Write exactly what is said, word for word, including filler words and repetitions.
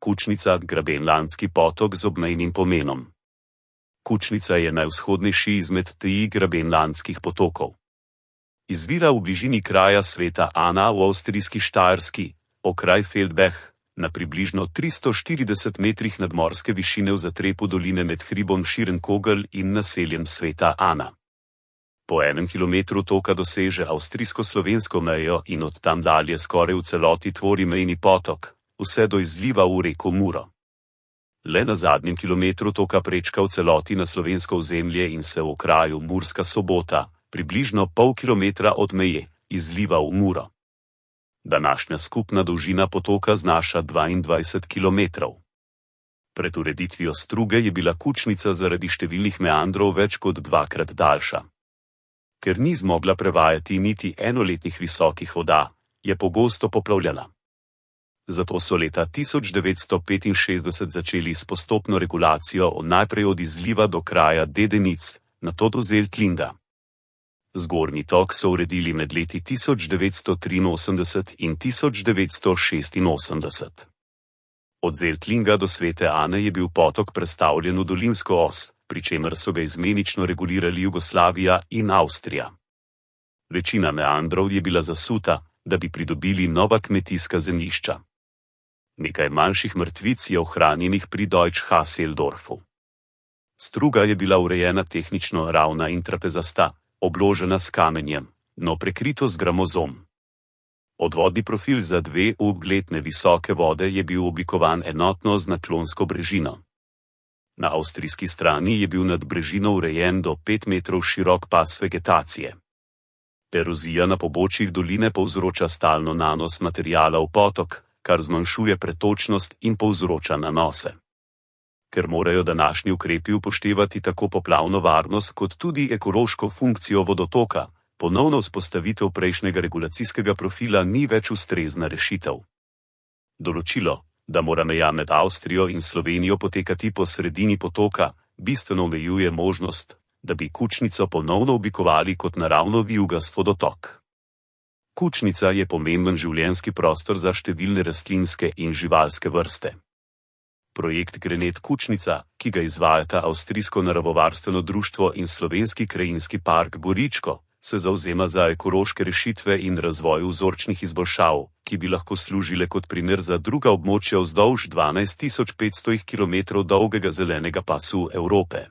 Kučnica, Grabenlandski potok z obmejnim pomenom. Kučnica je najvzhodnejši izmed treh grabenlandskih potokov. Izvira v bližini kraja Sveta Ana v avstrijski Štajerski, okraj Feldbach, na približno tristo štirideset metrih nadmorske višine v zatrepu doline med hribom Schierenkogel in naseljem Sveta Ana. Po enem kilometru toka doseže avstrijsko-slovensko mejo in od tam dalje skoraj v celoti tvori mejni potok, vse do izliva v reko Muro. Le na zadnjem kilometru toka prečka v celoti na slovensko ozemlje in se v kraju Murska Sobota, približno pol kilometra od meje, izliva v Muro. Današnja skupna dolžina potoka znaša dvaindvajset kilometrov. Pred ureditvijo struge je bila Kučnica zaradi številnih meandrov več kot dvakrat daljša. Ker ni zmogla prevajati niti enoletnih visokih voda, je pogosto poplavljala. Zato so leta tisoč devetsto petinšestdeset začeli s postopno regulacijo najprej od izliva do kraja Dedenic, nato do Zeltlinga. Zgornji tok so uredili med leti tisoč devetsto triinosemdeset in tisoč devetsto šestinosemdeset. Od Zeltlinga do Svete Ane je bil potok prestavljen v dolinsko os, pri čemer so ga izmenično regulirali Jugoslavija in Avstrija. Večina meandrov je bila zasuta, da bi pridobili nova kmetijska zemljišča. Nekaj manjših mrtvic je ohranjenih pri Deutsch-Hasseldorfu. Struga je bila urejena tehnično ravna in trapezasta, obložena s kamenjem, no prekrito z gramozom. Odvodni profil za dve ugletne visoke vode je bil oblikovan enotno z naklonsko brežino. Na avstrijski strani je bil nad brežino urejen do pet metrov širok pas vegetacije. Erozija na pobočjih doline povzroča stalno nanos materiala v potok, kar zmanjšuje pretočnost in povzroča nanose. Ker morajo današnji ukrepi upoštevati tako poplavno varnost kot tudi ekološko funkcijo vodotoka, ponovno vzpostavitev prejšnjega regulacijskega profila ni več ustrezna rešitev. Določilo, da mora meja med Avstrijo in Slovenijo potekati po sredini potoka, bistveno omejuje možnost, da bi Kučnico ponovno oblikovali kot naravno vijugast vodotok. Kučnica je pomemben življenjski prostor za številne rastlinske in živalske vrste. Projekt Grenet Kučnica, ki ga izvajata Avstrijsko naravovarstveno društvo in Slovenski krajinski park Goričko, se zavzema za ekološke rešitve in razvoj vzorčnih izboljšav, ki bi lahko služile kot primer za druga območja vzdolž dvanajst tisoč petsto kilometrov dolgega zelenega pasu Evrope.